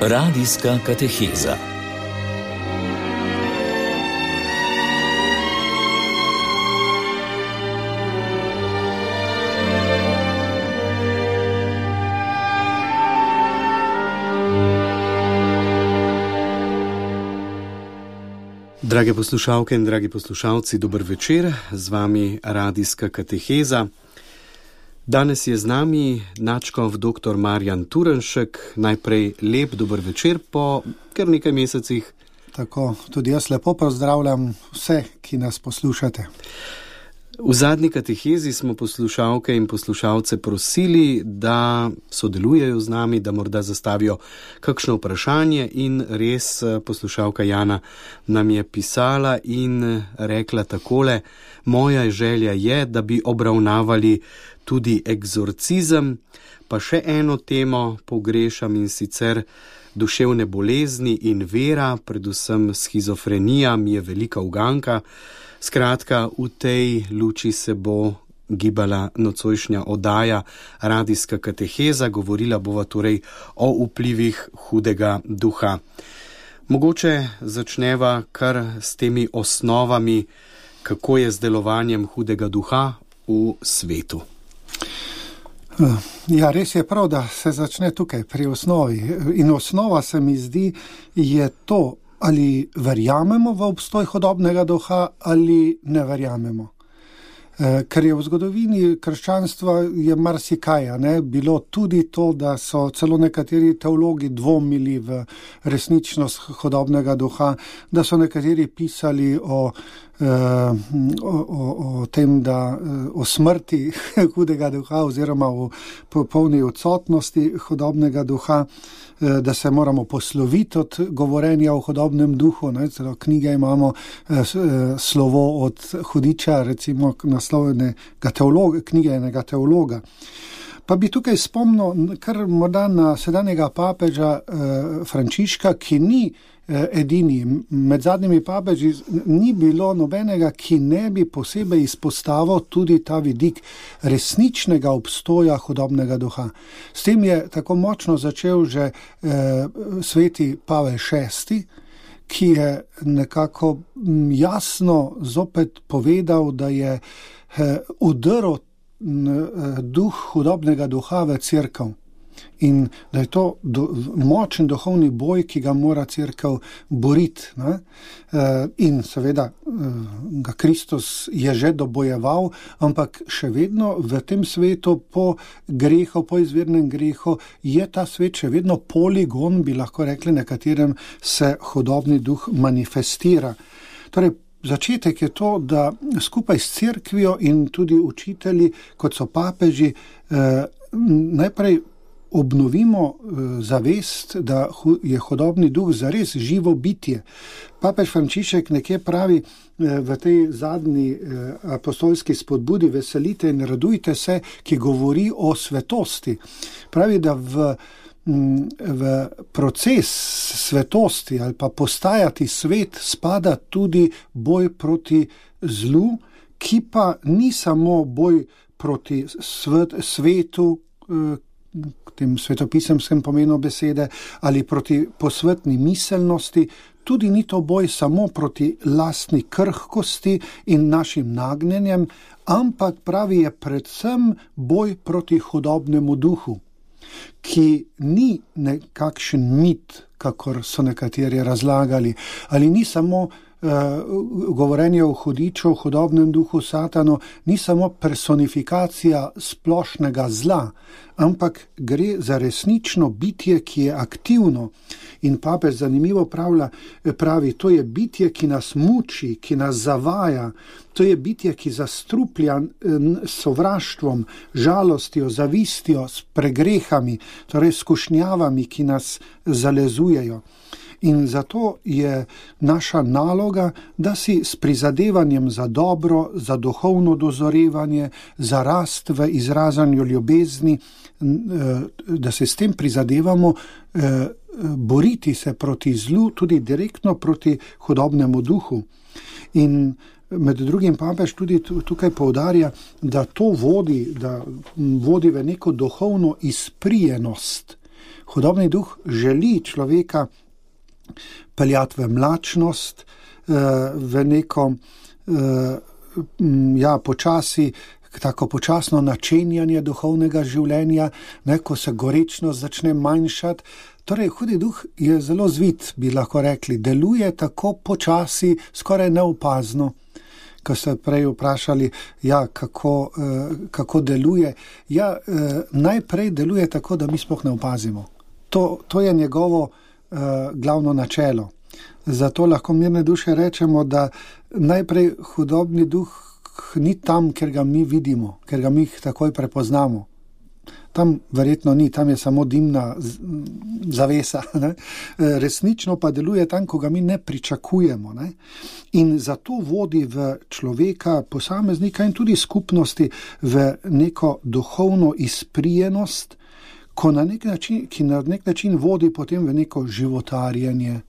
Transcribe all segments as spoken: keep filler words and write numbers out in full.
Radijska kateheza. Drage poslušalke in dragi poslušalci, dober večer, z vami Radijska kateheza. Danes je z nami nadškof doktor Marjan Turnšek. Najprej lep dober večer po kar nekaj mesecih. Tako, tudi jaz lepo pozdravljam vse, ki nas poslušate. V zadnji katehezi smo poslušalke in poslušalce prosili, da sodelujejo z nami, da morda zastavijo kakšno vprašanje, in res poslušalka Jana nam je pisala in rekla takole: moja želja je, da bi obravnavali tudi egzorcizem, pa še eno temo pogrešam, in sicer duševne bolezni in vera, predvsem shizofrenija mi je velika uganka. Skratka, v tej luči se bo gibala nocojšnja oddaja Radijska kateheza, govorila bova torej o vplivih hudega duha. Mogoče začneva kar s temi osnovami, kako je z delovanjem hudega duha v svetu. Ja, res je prav, da se začne tukaj pri osnovi. In osnova se mi zdi je to, ali verjamemo v obstoj hudobnega duha ali ne verjamemo. Ker je v zgodovini krščanstva je marsikaj, ne, bilo tudi to, da so celo nekateri teologi dvomili v resničnost hudobnega duha, da so nekateri pisali o, o, o, o tem, da o smrti hudega duha oziroma o popolni odsotnosti hudobnega duha, da se moramo posloviti od govorenja o hudobnem duhu. Ne? Celo knjige imamo, slovo od hudiča, recimo naslovnega teologa, knjige enega teologa. Pa bi tukaj spomnil kar morda na sedanjega papeža Frančiška, ki ni edini. Med zadnjimi papeži ni bilo nobenega, ki ne bi posebej izpostavil tudi ta vidik resničnega obstoja hudobnega duha. S tem je tako močno začel že eh, sveti Pavel šesti, ki je nekako jasno zopet povedal, da je eh, udrl eh, duh hudobnega duha v cerkev. In da je to do, močen duhovni boj, ki ga mora cerkev boriti. Ne? In seveda ga Kristus je že dobojeval, ampak še vedno v tem svetu po grehu, po izvirnem grehu, je ta svet še vedno poligon, bi lahko rekli, na katerem se hudobni duh manifestira. Torej, začetek je to, da skupaj s cerkvijo in tudi učitelji, kot so papeži, eh, najprej obnovimo zavest, da je hudobni duh zares živo bitje. Papež Frančišek nekje pravi v tej zadnji apostolski spodbudi Veselite in radujte se, ki govori o svetosti. Pravi, da v, v proces svetosti ali pa postajati svet spada tudi boj proti zlu, ki pa ni samo boj proti svet, svetu, tem svetopisemskem pomenu besede, ali proti posvetni miselnosti, tudi ni to boj samo proti lastni krhkosti in našim nagnjenjem, ampak pravi je predvsem boj proti hudobnemu duhu, ki ni nekakšen mit, kakor so nekateri razlagali, ali ni samo Uh, govorenje o hudiču, o hudobnem duhu Satanu, ni samo personifikacija splošnega zla, ampak gre za resnično bitje, ki je aktivno. In papež zanimivo pravlja, pravi, to je bitje, ki nas muči, ki nas zavaja, to je bitje, ki zastruplja s sovraštvom, žalostjo, zavistjo, s pregrehami, torej skušnjavami, ki nas zalezujejo. In zato je naša naloga, da si s prizadevanjem za dobro, za duhovno dozorevanje, za rast v izražanju ljubezni, da se s tem prizadevamo boriti se proti zlu, tudi direktno proti hudobnemu duhu. In med drugim papež tudi tukaj poudarja, da to vodi, da vodi v neko duhovno izprijenost, Hudobni duh želi človeka peljati v mlačnost, v neko ja, počasi, tako počasno načenjanje duhovnega življenja, ne, ko se gorečnost začne manjšati. Torej, hudi duh je zelo zvit, bi lahko rekli, deluje tako počasi, skoraj neopazno. Ko ste prej vprašali, ja, kako, kako deluje. Ja, najprej deluje tako, da mi sploh ne opazimo. To, to je njegovo uh, glavno načelo. Zato lahko mirne duše rečemo, da najprej hudobni duh ni tam, ker ga mi vidimo, ker ga mi takoj prepoznamo. Tam verjetno ni, tam je samo dimna zavesa. Ne? Resnično pa deluje tam, ko ga mi ne pričakujemo. Ne? In zato vodi v človeka, posameznika in tudi skupnosti v neko duhovno izprijenost, ko na nek način, ki na nek način vodi potem v neko životarjenje.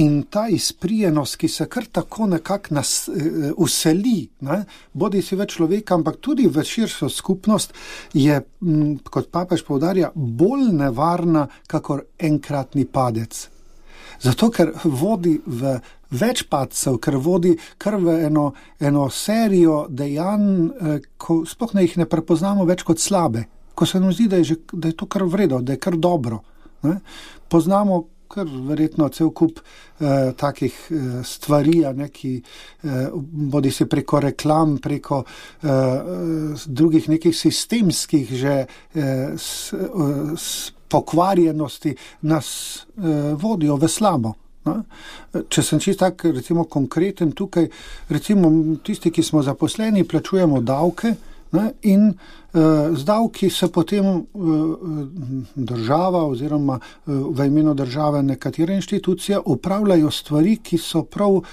In ta izprijenost, ki se kar tako nekako nas useli, ne, bodi si v človeka, ampak tudi v širšo skupnost, je, kot papež poudarja, bolj nevarna, kakor enkratni padec. Zato, ker vodi v več padcev, ker vodi kar v eno, eno serijo dejanj, ko sploh ne jih ne prepoznamo več kot slabe, ko se nam zdi, da je, že, da je to kar vredo, da je kar dobro. Ne. Poznamo kar verjetno cel kup eh, takih eh, stvari, ne, ki eh, bodi se preko reklam, preko eh, drugih nekih sistemskih že eh, s, eh, s pokvarjenosti nas eh, vodijo v slabo. Ne. Če sem čisto tak, recimo konkreten tukaj, recimo tisti, ki smo zaposleni, plačujemo davke, ne, in uh, z davki se potem uh, država oziroma uh, v imenu države nekatere inštitucije upravljajo stvari, ki so prav uh,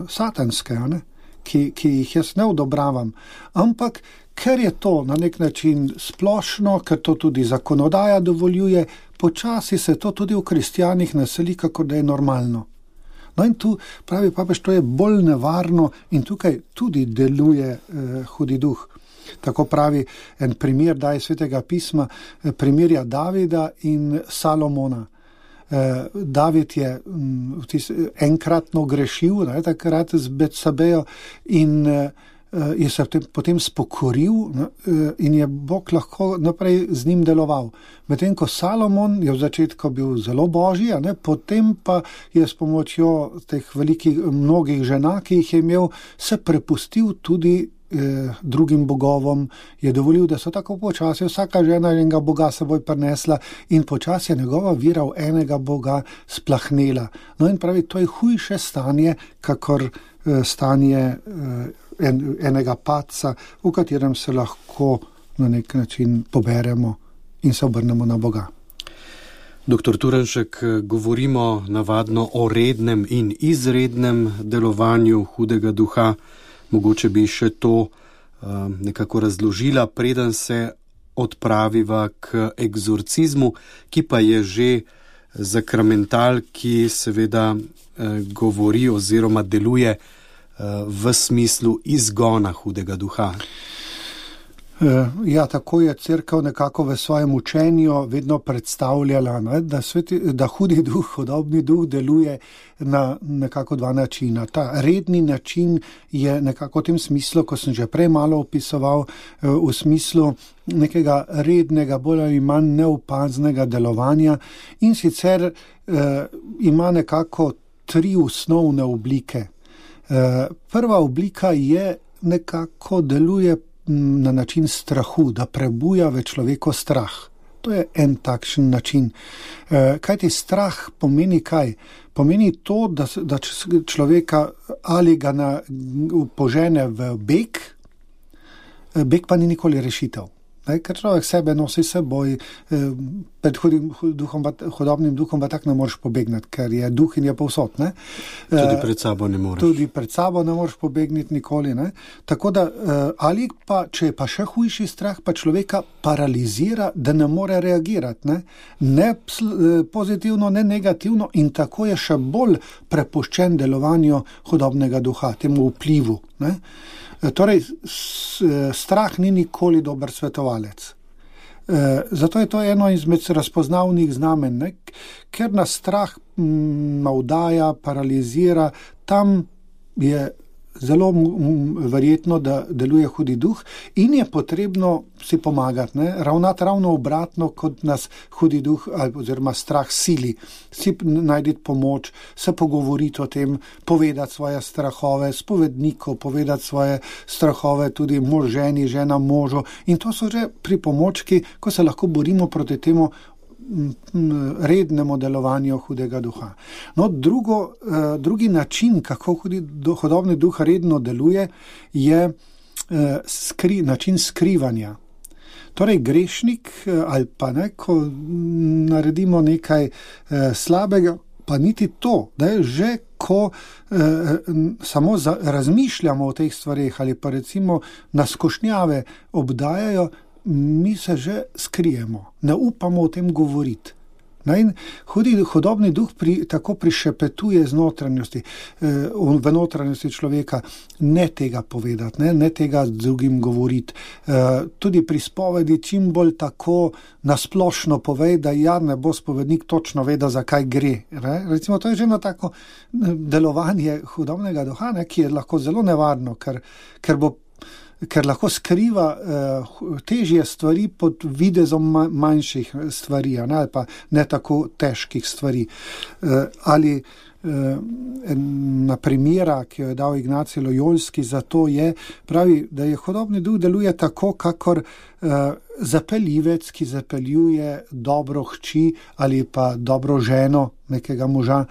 satanske, ne, ki, ki jih jaz ne odobravam. Ampak ker je to na nek način splošno, ker to tudi zakonodaja dovoljuje, počasi se to tudi v kristjanih naseli, kako da je normalno. No in tu pravi papež, to je bolj nevarno in tukaj tudi deluje uh, hudi duh. Tako pravi en primer, daje svetega pisma, primerja Davida in Salomona. David je enkratno grešil, ne, takrat z Betsabejo in je se potem spokoril in je Bog lahko naprej z njim deloval. Medtem ko Salomon je v začetku bil zelo božji, ne, potem pa je s pomočjo teh velikih mnogih žena, ki jih je imel, se prepustil tudi drugim bogovom, je dovolil, da so tako počasi vsaka žena enega boga seboj prinesla in počasi je njegova vera v enega boga splahnela. No in pravi, to je hujše stanje, kakor stanje en, enega padca, v katerem se lahko na nek način poberemo in se obrnemo na Boga. Doktor Turnšek, govorimo navadno o rednem in izrednem delovanju hudega duha. Mogoče bi še to uh, nekako razložila, preden se odpraviva k egzorcizmu, ki pa je že zakramental, ki seveda uh, govori oziroma deluje uh, v smislu izgona hudega duha. Ja, tako je cerkev nekako v svojem učenju vedno predstavljala, ne, da, sveti, da hudi duh, hudobni duh deluje na nekako dva načina. Ta redni način je nekako v tem smislu, ko sem že prej malo opisoval, v smislu nekega rednega, bolj ali manj neopaznega delovanja in sicer eh, ima nekako tri osnovne oblike. Eh, prva oblika je nekako deluje na način strahu, da prebuja v človeku strah. To je en takšen način. Kaj ti strah pomeni kaj? Pomeni to, da, da človeka ali ga na, požene v beg, beg pa ni nikoli rešitev. Ker človek sebe nosi seboj, pred hudim duhom, hudobnim duhom pa tak ne moreš pobegniti, ker je duh in je povsod. Ne? Tudi pred sabo ne moreš. Tudi pred sabo ne moreš pobegniti nikoli. Ne? Tako da, ali pa, če je pa še hujši strah, pa človeka paralizira, da ne more reagirati. Ne, ne pozitivno, ne negativno in tako je še bolj prepuščen delovanju hudobnega duha, temu vplivu. Ne? Torej, strah ni nikoli dober svetovalec. E, zato je to eno izmed razpoznavnih znamen, ne? Ker nas strah navdaja, paralizira, tam je zelo verjetno, da deluje hudi duh in je potrebno si pomagati, ne? Ravnati ravno obratno, kot nas hudi duh oziroma strah sili. Si najti pomoč, se pogovoriti o tem, povedati svoje strahove, spovedniku povedati svoje strahove, tudi mož ženi, žena možu. In to so že pripomočki, ko se lahko borimo proti temu rednemu delovanju hudega duha. No, drugo, drugi način, kako hudi, hudobni duh redno deluje, je skri, način skrivanja. Torej, grešnik ali pa ne, ko naredimo nekaj slabega, pa niti to, da je že, ko eh, samo za, razmišljamo o teh stvareh ali pa recimo nas skušnjave obdajajo, mi se že skrijemo, ne upamo o tem govoriti. In hudi, hudobni duh pri, tako prišepetuje z notranjosti, eh, v notranjosti človeka, ne tega povedati, ne, ne tega z drugim govoriti. Eh, tudi pri spovedi čim bolj tako nasplošno povej, da ja ne bo spovednik točno vedel, zakaj gre. Ne. Recimo, to je že eno tako delovanje hudobnega duha, ne, ki je lahko zelo nevarno, ker, ker bo ker lahko skriva uh, težje stvari pod videzom manjših stvari, ne, ali pa ne tako težkih stvari. Uh, ali uh, ena primera, ki jo je dal Ignacij Lojolski, za to je, pravi, da je hudobni duh deluje tako, kakor uh, zapeljivec, ki zapeljuje dobro hči ali pa dobro ženo nekega moža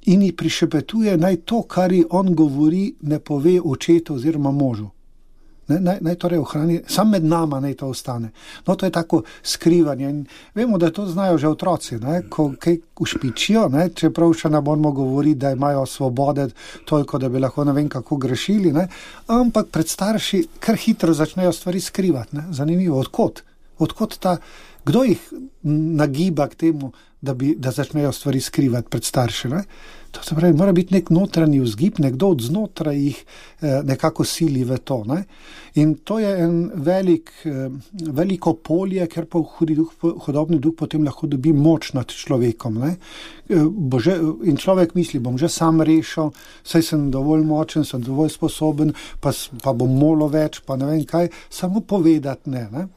in ji prišepetuje, naj to, kar ji on govori, ne pove očetu oziroma možu. Naj, naj torej ohrani, sam med nama naj to ostane. No, to je tako skrivanje in vemo, da to znajo že otroci, ne? Ko kaj ušpičijo, ne? Čeprav še ne moramo govoriti, da imajo svobode toliko, da bi lahko ne vem kako grešili, ne? Ampak pred starši kar hitro začnejo stvari skrivati, ne? Zanimivo, odkot? Odkot ta, kdo jih nagiba k temu, da, bi, da začnejo stvari skrivati pred starši, ne? To se pravi, mora biti nek notranji vzgib, nekdo od znotraj jih eh, nekako sili v to. Ne? In to je en velik, eh, veliko polje, ker pa hudi duh, hudobni duh potem lahko dobi moč nad človekom. Ne? Eh, bo že, in človek misli, bom že sam rešil, saj sem dovolj močen, sem dovolj sposoben, pa, pa bom molil več, pa ne vem kaj, samo povedati ne. ne?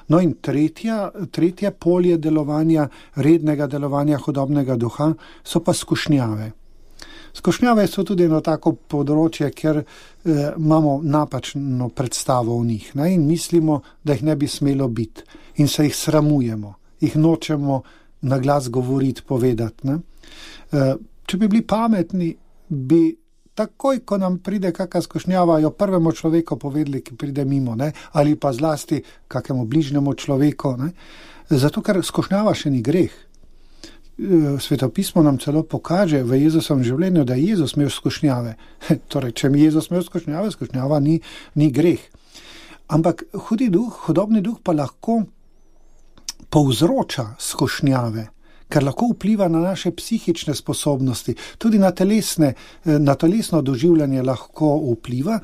No in tretja, tretje polje delovanja, rednega delovanja hudobnega duha, so pa skušnjave. Skušnjave so tudi eno tako področje, ker eh, imamo napačno predstavo o njih, ne? In mislimo, da jih ne bi smelo biti in se jih sramujemo, jih nočemo na glas govoriti, povedati. Ne? Eh, če bi bili pametni, bi takoj, ko nam pride kakšna skušnjava, jo prvemu človeku povedali, ki pride mimo, ne? Ali pa zlasti kakemu bližnjemu človeku. Ne? Zato, ker skušnjava še ni greh. Svetopismo nam celo pokaže v Jezusovem življenju, da je Jezus imel skušnjave. Torej, če mi Jezus imel skušnjave, skušnjava ni, ni greh. Ampak hudi duh, hudobni duh pa lahko povzroča skušnjave, ker lahko vpliva na naše psihične sposobnosti, tudi na, telesne, na telesno doživljanje lahko vpliva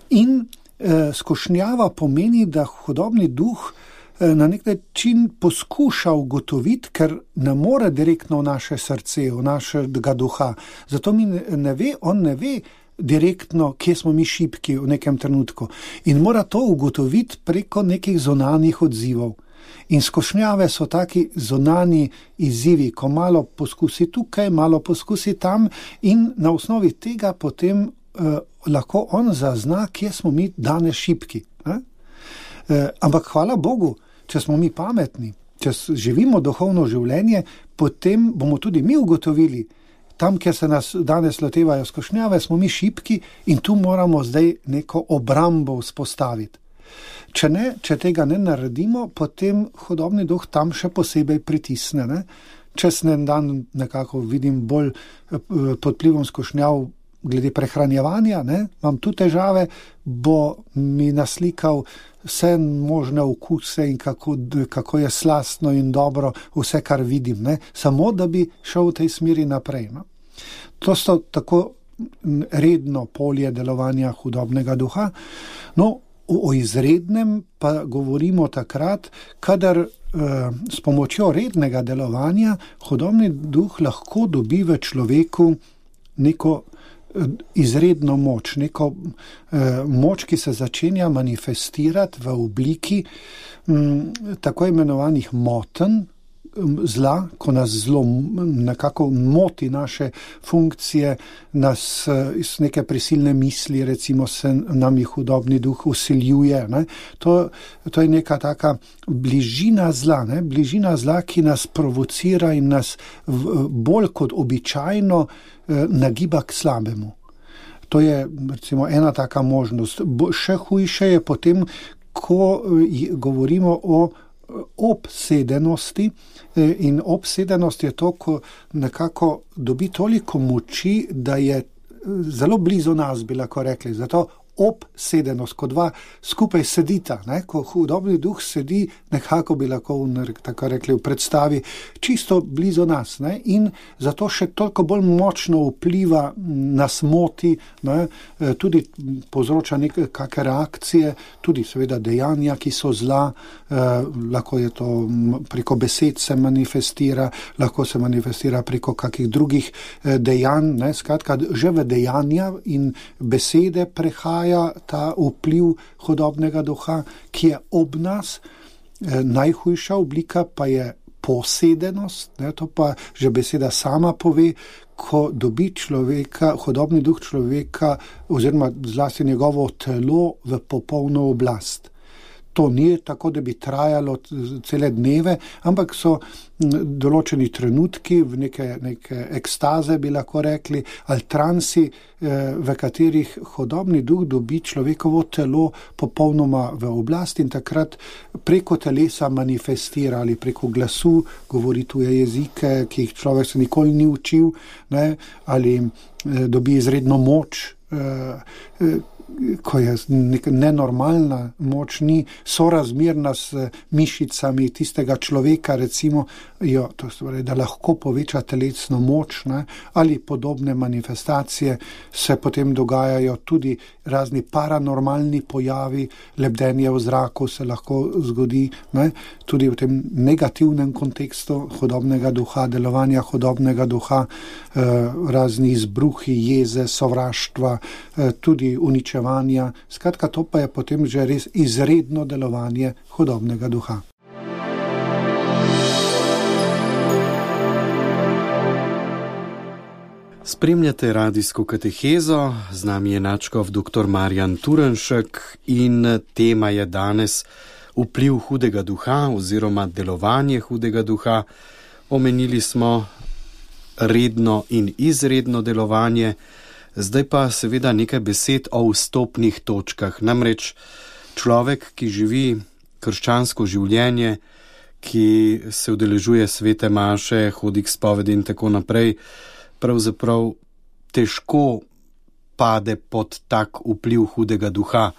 in eh, skušnjava pomeni, da hudobni duh eh, na nek način poskuša ugotoviti, ker ne more direktno v naše srce, v našega duha. Zato mi ne, ne ve, on ne ve direktno, kje smo mi šibki v nekem trenutku in mora to ugotoviti preko nekih zunanjih odzivov. In skušnjave so taki zunani izzivi, ko malo poskusi tukaj, malo poskusi tam in na osnovi tega potem eh, lahko on zazna, kje smo mi danes šibki. Eh? Eh, ampak hvala Bogu, če smo mi pametni, če živimo duhovno življenje, potem bomo tudi mi ugotovili, tam, kjer se nas danes lotevajo skušnjave, smo mi šibki in tu moramo zdaj neko obrambo vzpostaviti. Če ne, če tega ne naredimo, potem hudobni duh tam še posebej pritisne. Ne? Čez en dan nekako vidim bolj pod vplivom skušnjav glede prehranjevanja, ne? Imam tu težave, bo mi naslikal vse možne okuse in kako, kako je slastno in dobro vse, kar vidim, ne? Samo da bi šel v tej smeri naprej. No? To so tako redno polje delovanja hudobnega duha. No, o izrednem pa govorimo takrat, kadar eh, s pomočjo rednega delovanja hudobni duh lahko dobi v človeku neko izredno moč, neko eh, moč, ki se začenja manifestirati v obliki m, tako imenovanih motenj zla, ko nas zelo nekako moti naše funkcije, nas iz neke prisilne misli, recimo se nam jih hudobni duh usiljuje. Ne? To, to je neka taka bližina zla, ne? bližina zla, ki nas provocira in nas v, bolj kot običajno eh, nagiba k slabemu. To je recimo ena taka možnost. Bo, še hujše je potem, ko govorimo o obsedenosti, in obsedenost je to, ko nekako dobi toliko moči, da je zelo blizu nas, bi lahko rekli. Zato obsedenost, ko dva skupaj sedita, ne? Ko hudobni duh sedi, nekako bi lahko tako rekli v predstavi, čisto blizu nas, ne? In zato še toliko bolj močno vpliva, nas moti, ne? Tudi povzroča neke kakšne reakcije, tudi seveda dejanja, ki so zla, eh, lahko je to preko besed se manifestira, lahko se manifestira preko kakih drugih eh, dejanj, ne? Skratka, že v dejanja in besede prehaja ta vpliv hudobnega duha, ki je ob nas. E, najhujša oblika pa je posedenost, ne, to pa že beseda sama pove, ko dobi človeka, hudobni duh človeka oziroma zlasti njegovo telo v popolno oblast. To ni tako, da bi trajalo cele dneve, ampak so določeni trenutki, v neke, neke ekstaze bi lahko rekli, ali transi, v katerih hudobni duh dobi človekovo telo popolnoma v oblast in takrat preko telesa manifestira ali preko glasu, govori tuje jezike, ki jih človek se nikoli ni učil, ne, ali dobi izredno moč, ko je neka nenormalna moč, ni sorazmerna s mišicami tistega človeka, recimo, jo, to je, da lahko poveča telesno moč, ne, ali podobne manifestacije, se potem dogajajo tudi razni paranormalni pojavi, lebdenje v zraku se lahko zgodi, ne, tudi v tem negativnem kontekstu hudobnega duha, delovanja hudobnega duha, eh, razni izbruhi, jeze, sovraštva, eh, tudi uničevanja. Skratka, to pa je potem že res izredno delovanje hudobnega duha. Spremljate radijsko katehezo, z nami je nadškof dr. Marjan Turnšek in tema je danes vpliv hudega duha oziroma delovanje hudega duha. Omenili smo redno in izredno delovanje. Zdaj pa seveda nekaj besed o vstopnih točkah. Namreč človek, ki živi krščansko življenje, ki se udeležuje svete maše, hodi k spovedi in tako naprej, pravzaprav težko pade pod tak vpliv hudega duha.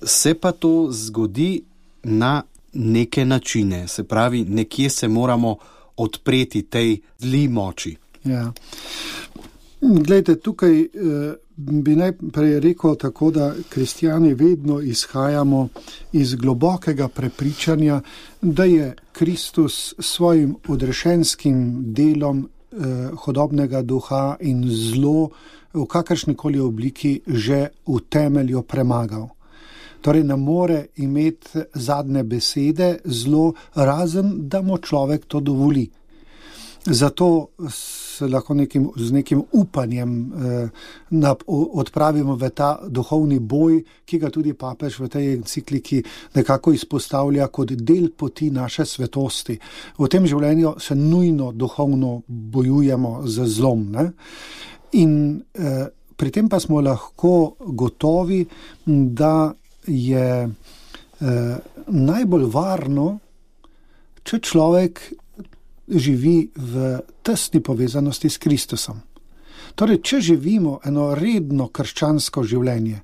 Se pa to zgodi na neke načine, se pravi, nekje se moramo odpreti tej zli moči. Ja. Glejte, tukaj eh, bi najprej rekel tako, da kristjani vedno izhajamo iz globokega prepričanja, da je Kristus svojim odrešenskim delom eh, hudobnega duha in zlo v kakršnikoli obliki že v temelju premagal. Torej ne more imeti zadnje besede zlo, razen da mu človek to dovoli. Zato se lahko nekim, z nekim upanjem eh, na, odpravimo v ta duhovni boj, ki ga tudi papež v tej encikliki nekako izpostavlja kot del poti naše svetosti. V tem življenju se nujno duhovno bojujemo z zlom. Ne? In eh, pri tem pa smo lahko gotovi, da je eh, najbolj varno, če človek živi v tesni povezanosti s Kristusom. Torej, če živimo eno redno krščansko življenje,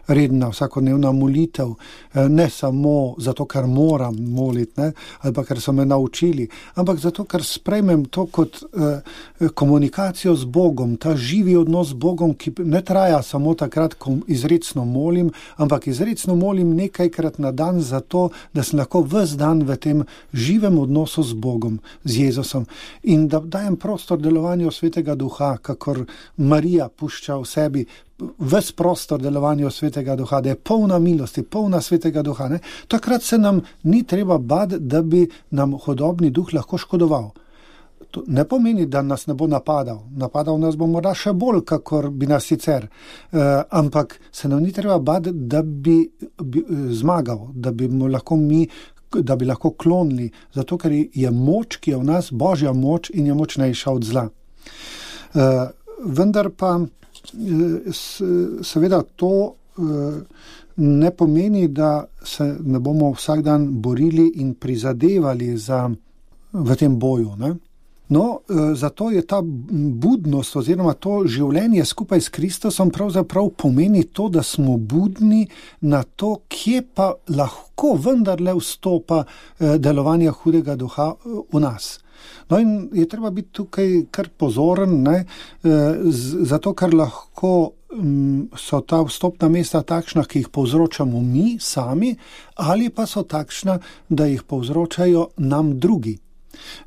redna vsakodnevna molitev, ne samo zato, ker moram moliti, ne, ali pa ker so me naučili, ampak zato, ker sprejmem to kot eh, komunikacijo z Bogom, ta živi odnos z Bogom, ki ne traja samo takrat, ko izrecno molim, ampak izrecno molim nekajkrat na dan zato, da sem lahko ves dan v tem živem odnosu z Bogom, z Jezusom in da dajem prostor delovanju Svetega Duha, kakor Marija pušča v sebi ves prostor delovanju Svetega Duha, da je polna milosti, polna Svetega Duha. Ne? Takrat se nam ni treba bati, da bi nam hudobni duh lahko škodoval. To ne pomeni, da nas ne bo napadal. Napadal nas bo morda še bolj, kakor bi nas sicer. Uh, ampak se nam ni treba bati, da bi, bi zmagal, da bi mu lahko mi da bi lahko klonili, zato ker je moč, ki je v nas, Božja moč in je močnejša od zla. Uh, vendar pa seveda to ne pomeni, da se ne bomo vsak dan borili in prizadevali za, v tem boju. Ne? No, zato je ta budnost oziroma to življenje skupaj s Kristusom pravzaprav pomeni to, da smo budni na to, kje pa lahko vendarle vstopa delovanje hudega duha v nas. No in je treba biti tukaj kar pozoren, ne, zato ker lahko so ta vstopna mesta takšna, ki jih povzročamo mi sami, ali pa so takšna, da jih povzročajo nam drugi.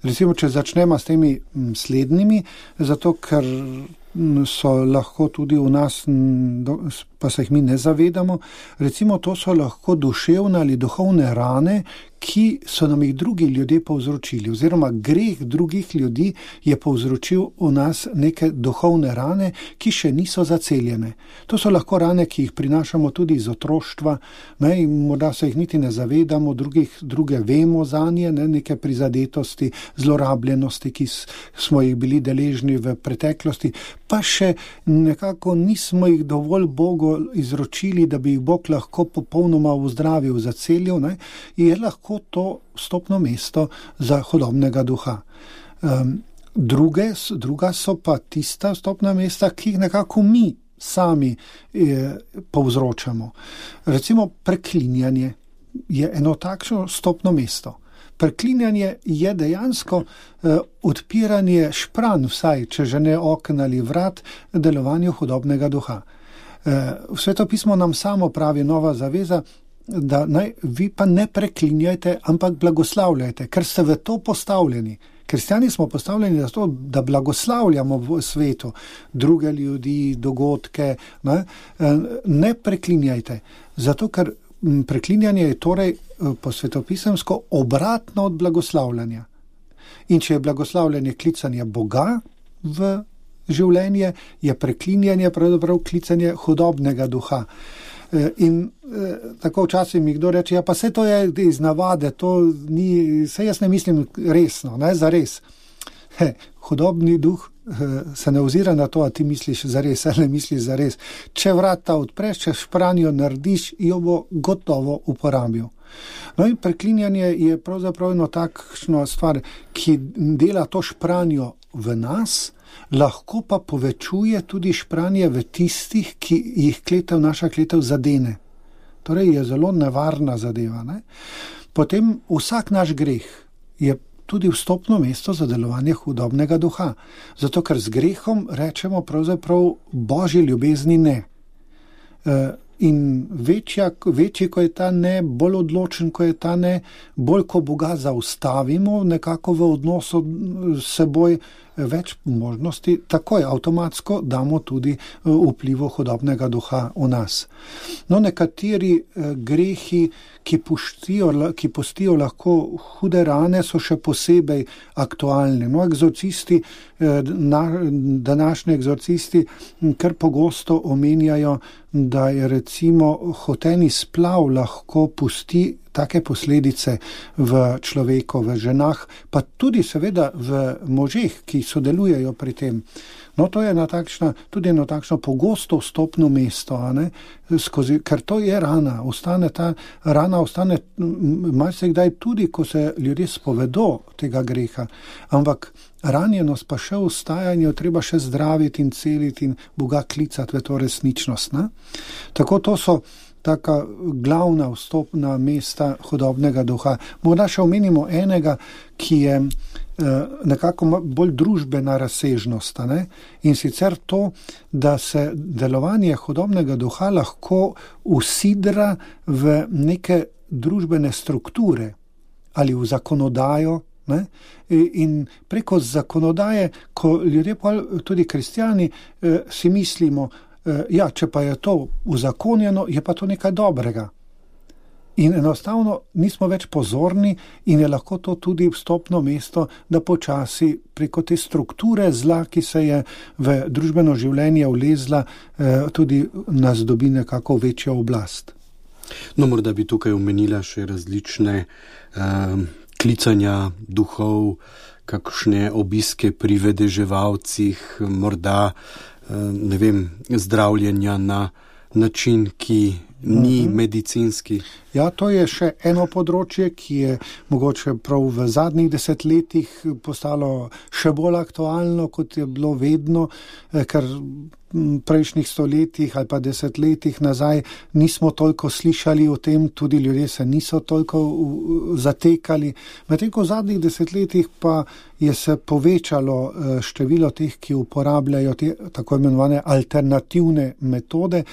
Recimo, če začnemo s temi slednjimi, zato ker so lahko tudi v nas, pa se jih mi ne zavedamo, recimo to so lahko duševne ali duhovne rane, ki so nam jih drugi ljudje povzročili, oziroma greh drugih ljudi je povzročil v nas neke duhovne rane, ki še niso zaceljene. To so lahko rane, ki jih prinašamo tudi iz otroštva, ne, in morda se jih niti ne zavedamo, drugih, druge vemo zanje, ne, neke prizadetosti, zlorabljenosti, ki smo jih bili deležni v preteklosti, pa še nekako nismo jih dovolj Bogu izročili, da bi jih Bog lahko popolnoma vzdravil, zaceljil, ne, je lahko to vstopno mesto za hudobnega duha. Um, druge, druga so pa tista vstopna mesta, ki jih nekako mi sami eh, povzročamo. Recimo preklinjanje je eno takšno vstopno mesto. Preklinjanje je dejansko eh, odpiranje špran, vsaj, če že ne okn ali vrat, delovanju hudobnega duha. Eh, Svetopismo nam samo pravi, Nova zaveza, da naj vi pa ne preklinjajte, ampak blagoslavljajte, ker ste v to postavljeni. Kristjani smo postavljeni za to, da blagoslavljamo v svetu druge ljudi, dogodke. Ne, ne preklinjajte, zato ker preklinjanje je torej po svetopisemsko obratno od blagoslavljanja. In če je blagoslavljanje klicanje Boga v življenje, je preklinjanje pravzaprav klicanje hudobnega duha. In eh, tako včasih mi kdo reče, ja pa vse to je iz navade, to ni, vse jaz ne mislim resno, ne, za res. He, hudobni duh eh, se ne ozira na to, a ti misliš za res, ali ne misliš za res. Če vrata odpreš, če špranjo narediš, jo bo gotovo uporabil. No in preklinjanje je pravzaprav eno takšno stvar, ki dela to špranjo v nas, lahko pa povečuje tudi špranje v tistih, ki jih kletev, naša kletev zadene. Torej je zelo nevarna zadeva. Ne? Potem vsak naš greh je tudi vstopno mesto za delovanje hudobnega duha. Zato, ker z grehom rečemo pravzaprav Božji ljubezni ne. E, in večja, večji, ko je ta ne, bolj odločen, ko je ta ne, bolj, ko Boga zaustavimo nekako v odnosu s seboj, več možnosti, takoj avtomatsko damo tudi vplivo hudobnega duha v nas. No, nekateri grehi, ki pustijo, ki pustijo lahko hude rane, so še posebej aktualni. No, egzorcisti, na, današnji egzorcisti kar pogosto omenjajo, da je recimo hoteni splav lahko pusti take posledice v človeku, v ženah, pa tudi seveda v možeh, ki sodelujejo pri tem. No, to je ena takšna, tudi eno takšno pogosto vstopno mesto, a ne, skozi, ker to je rana, ostane ta rana, ostane marsikdaj tudi, ko se ljudje spovedo tega greha, ampak ranjenost pa še ostajanje, treba še zdraviti in celiti in Boga klicati v to resničnost. Ne? Tako to so taka glavna vstopna mesta hudobnega duha. Morda še omenimo enega, ki je nekako bolj družbena razsežnost, ne? In sicer to, da se delovanje hudobnega duha lahko usidra v neke družbene strukture ali v zakonodajo, ne? In preko zakonodaje, ko ljudje, tudi kristjani, si mislimo, ja, če pa je to uzakonjeno, je pa to nekaj dobrega. In enostavno nismo več pozorni in je lahko to tudi vstopno mesto, da počasi preko te strukture zla, ki se je v družbeno življenje vlezla, tudi nas dobi nekako večjo oblast. No, morda bi tukaj omenila še različne eh, klicanja duhov, kakšne obiske pri vedeževalcih, morda eh, ne vem, zdravljenja na način, ki ni medicinski. Ja, to je še eno področje, ki je mogoče prav v zadnjih desetletjih postalo še bolj aktualno, kot je bilo vedno, ker v prejšnjih stoletjih ali pa desetletjih nazaj nismo toliko slišali o tem, tudi ljudje se niso toliko zatekali. Medtem ko v zadnjih desetletjih pa je se povečalo število teh, ki uporabljajo te tako imenovane alternativne metode,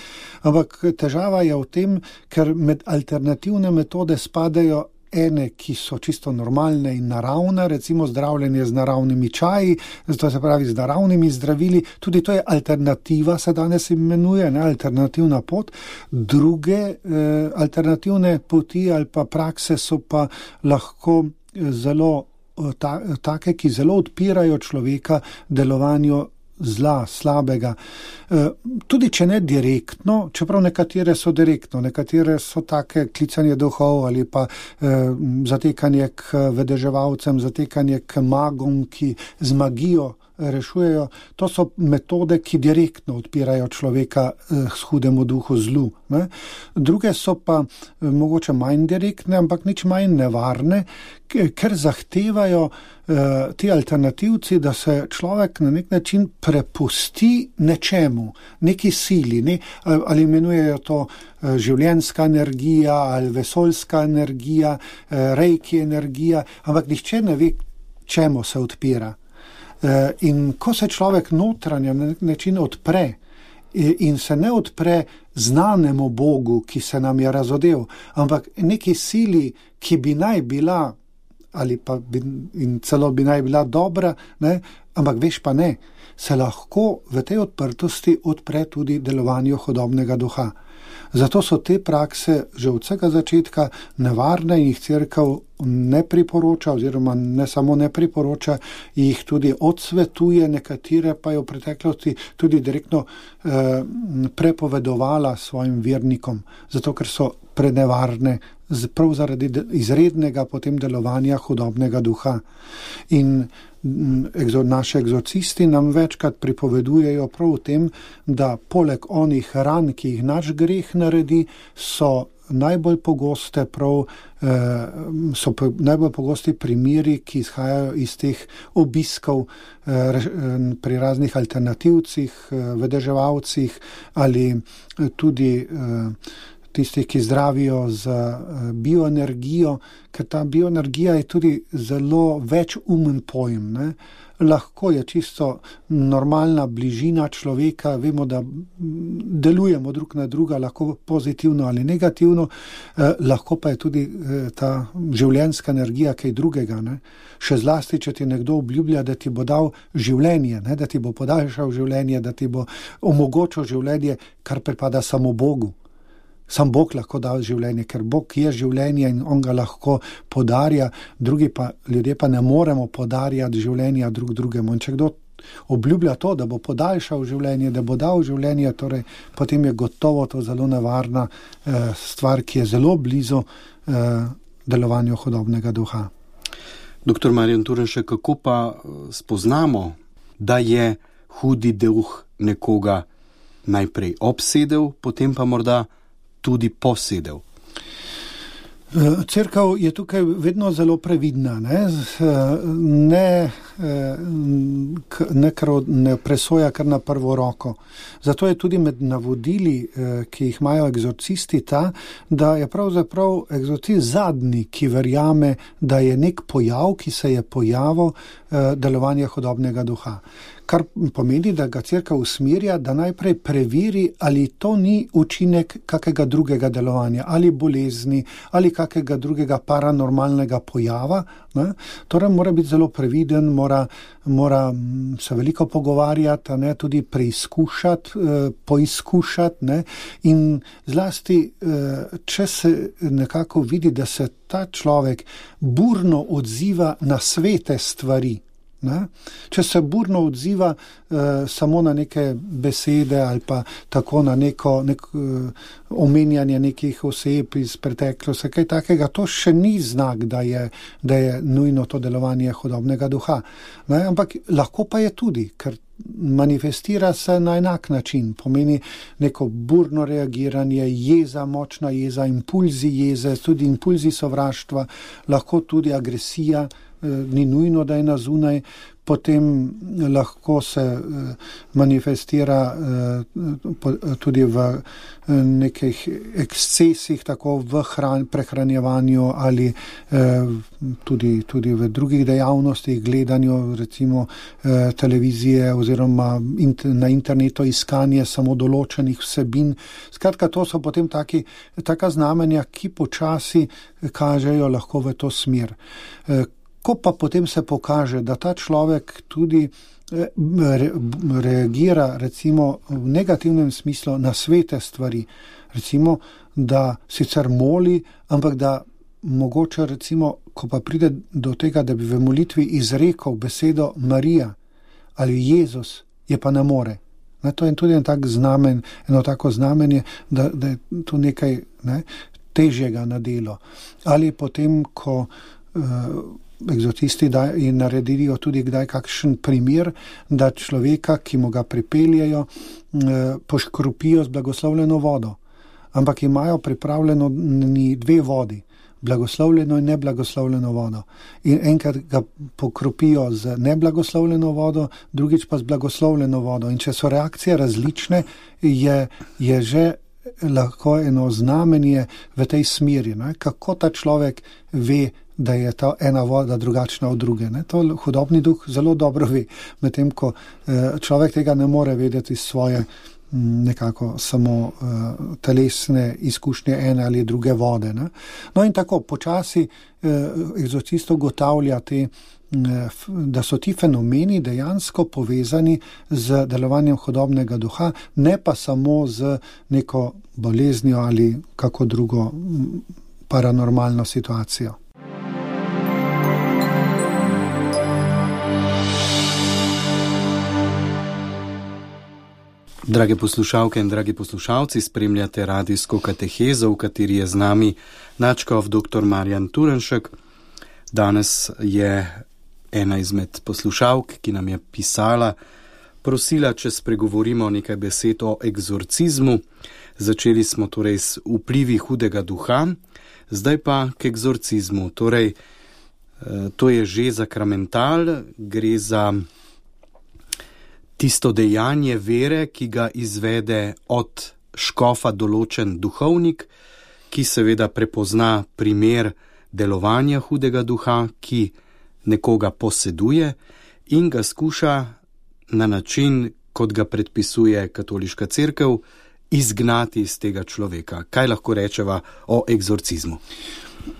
ampak težava je v tem, ker med alternativne metode spadajo ene, ki so čisto normalne in naravne, recimo zdravljenje z naravnimi čaji, to se pravi z naravnimi zdravili, tudi to je alternativa, se danes imenuje, ne, alternativna pot. Druge eh, alternativne poti ali pa prakse so pa lahko zelo ta, take, ki zelo odpirajo človeka delovanju zla, slabega. Tudi če ne direktno, čeprav nekatere so direktno, nekatere so take klicanje duhov ali pa eh, zatekanje k vedeževalcem, zatekanje k magom, ki z magijo rešujejo. To so metode, ki direktno odpirajo človeka eh, s hudemu duhu zlu. Ne? Druge so pa eh, mogoče manj direktne, ampak nič manj nevarne, ker zahtevajo eh, ti alternativci, da se človek na nek način prepusti nečemu, neki sili, ne? Ali imenujejo to eh, življenjska energija ali vesoljska energija, eh, reiki energija, ampak nihče ne ve, čemu se odpira. In ko se človek notranje na nek način odpre in se ne odpre znanemu Bogu, ki se nam je razodel, ampak neki sili, ki bi naj bila ali pa bi, in celo bi naj bila dobra, ne, ampak veš pa ne, se lahko v tej odprtosti odpre tudi delovanju hudobnega duha. Zato so te prakse že od vsega začetka nevarne in jih cerkev ne priporoča, oziroma ne samo ne priporoča, jih tudi odsvetuje, nekatere pa je v preteklosti tudi direktno eh, prepovedovala svojim vernikom, zato ker so prenevarne prav zaradi izrednega potem delovanja hudobnega duha. In naši egzorcisti nam večkrat pripovedujejo prav o tem, da poleg onih ran, ki jih naš greh naredi, so najbolj pogoste prav, so najbolj pogosti primeri, ki izhajajo iz teh obiskov pri raznih alternativcih, vedeževalcih ali tudi tisti, ki zdravijo z bioenergijo, ker ta bioenergija je tudi zelo večumen pojem. Ne? Lahko je čisto normalna bližina človeka, vemo, da delujemo drug na druga, lahko pozitivno ali negativno, eh, lahko pa je tudi eh, ta življenjska energija kaj drugega. Ne? Še zlasti, če ti nekdo obljublja, da ti bo dal življenje, ne? Da ti bo podaljšal življenje, da ti bo omogočil življenje, kar pripada samo Bogu. Sam Bog lahko da življenje, ker Bog je življenje in on ga lahko podarja, drugi pa, ljudje pa ne moremo podarjati življenja drug drugemu. In če kdo obljublja to, da bo podaljšal življenje, da bo dal življenje, torej potem je gotovo to zelo nevarna eh, stvar, ki je zelo blizu delovanju hudobnega duha. Doktor Marjan Turnšek, kako pa spoznamo, da je hudi duh nekoga najprej obsedel, potem pa morda tudi posedel? Cerkev je tukaj vedno zelo previdna, ne, ne, ne, ne presoja kar na prvo roko. Zato je tudi med navodili, ki jih imajo egzorcisti, ta, da je pravzaprav egzorcist zadnji, ki verjame, da je nek pojav, ki se je pojavil, delovanje hudobnega duha. Kar pomeni, da ga cerkev usmerja, da najprej preveri, ali to ni učinek kakega drugega delovanja, ali bolezni, ali kakega drugega paranormalnega pojava. Ne? Torej mora biti zelo previden, mora, mora se veliko pogovarjati, ne? Tudi preizkušati, poizkušati, ne? In zlasti, če se nekako vidi, da se ta človek burno odziva na svete stvari, ne? Če se burno odziva uh, samo na neke besede ali pa tako na neko nek, uh, omenjanje nekih oseb iz preteklosti, kaj takega, to še ni znak, da je, da je nujno to delovanje hudobnega duha. Ne? Ampak lahko pa je tudi, ker manifestira se na enak način, pomeni neko burno reagiranje, jeza, močna jeza, impulzi jeze, tudi impulzi sovraštva, lahko tudi agresija, ni nujno, da je na zunaj, potem lahko se manifestira tudi v nekih ekscesih, tako v hran, prehranjevanju ali tudi, tudi v drugih dejavnostih, gledanju recimo televizije oziroma na internetu iskanje samo določenih vsebin. Skratka, to so potem taki, taka znamenja, ki počasi kažejo lahko v to smer. Ko pa potem se pokaže, da ta človek tudi re, reagira recimo v negativnem smislu na svete stvari, recimo, da sicer moli, ampak da mogoče recimo, ko pa pride do tega, da bi v molitvi izrekel besedo Marija ali Jezus, je pa ne more. Ne, to je tudi en tak znamen, eno tako znamenje, da, da je to nekaj ne, težjega na delo. Ali potem, ko uh, egzorcisti naredijo tudi kdaj kakšen primer, da človeka, ki mu ga pripeljejo, poškropijo z blagoslovljeno vodo. Ampak imajo pripravljeno dve vodi, blagoslovljeno in neblagoslovljeno vodo. In enkrat ga pokropijo z neblagoslovljeno vodo, drugič pa z blagoslovljeno vodo. In če so reakcije različne, je, je že lahko eno znamenje v tej smeri, ne? Kako ta človek ve, da je ta ena voda drugačna od druge. Ne? To hudobni duh zelo dobro ve, medtem ko eh, človek tega ne more vedeti svoje m, nekako samo eh, telesne izkušnje ene ali druge vode. Ne? No in tako počasi eh, egzorcist ugotavlja te, eh, da so ti fenomeni dejansko povezani z delovanjem hudobnega duha, ne pa samo z neko boleznijo ali kako drugo m, paranormalno situacijo. Drage poslušalke in dragi poslušalci, spremljate radijsko katehezo, v kateri je z nami nadškof doktor Marjan Turnšek. Danes je ena izmed poslušalk, ki nam je pisala, prosila, če spregovorimo nekaj besed o egzorcizmu. Začeli smo torej s vplivi hudega duha, zdaj pa k egzorcizmu. Torej, to je že sakramental, gre za tisto dejanje vere, ki ga izvede od škofa določen duhovnik, ki seveda prepozna primer delovanja hudega duha, ki nekoga poseduje in ga skuša na način, kot ga predpisuje katoliška cerkev, izgnati iz tega človeka. Kaj lahko rečeva o egzorcizmu?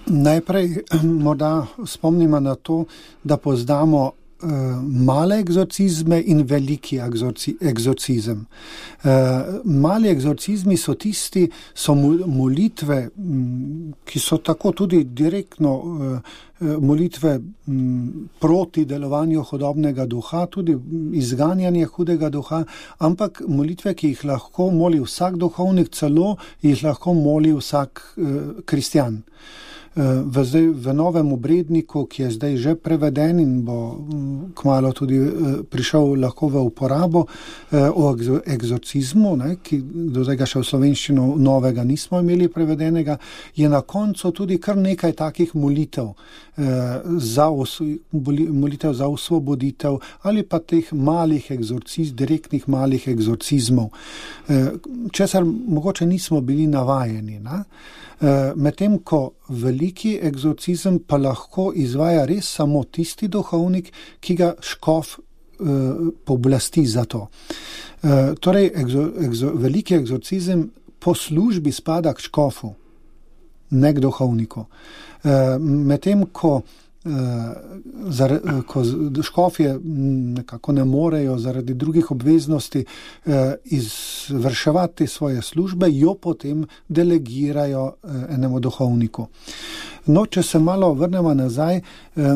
Najprej morda spomnimo na to, da poznamo male egzorcizme in veliki egzorcizem. Mali egzorcizmi so tisti, so molitve, ki so tako tudi direktno molitve proti delovanju hudobnega duha, tudi izganjanje hudega duha, ampak molitve, ki jih lahko moli vsak duhovnik, celo jih lahko moli vsak kristjan. V, zdaj, v novem obredniku, ki je zdaj že preveden in bo kmalu tudi prišel lahko v uporabo, o egzorcizmu, ne, ki do zdaj še v slovenščino novega nismo imeli prevedenega, je na koncu tudi kar nekaj takih molitev za, molitev za osvoboditev ali pa teh malih egzorcizmov, direktnih malih egzorcizmov, česar mogoče nismo bili navajeni. Ne? Medtem ko veliki egzorcizem pa lahko izvaja res samo tisti duhovnik, ki ga škof pooblasti za to. Torej, egzo, egzo, veliki egzorcizem po službi spada k škofu, ne k duhovniku. Medtem ko ko škofje nekako ne morejo zaradi drugih obveznosti izvrševati svoje službe, jo potem delegirajo enemu duhovniku. No, če se malo vrnemo nazaj,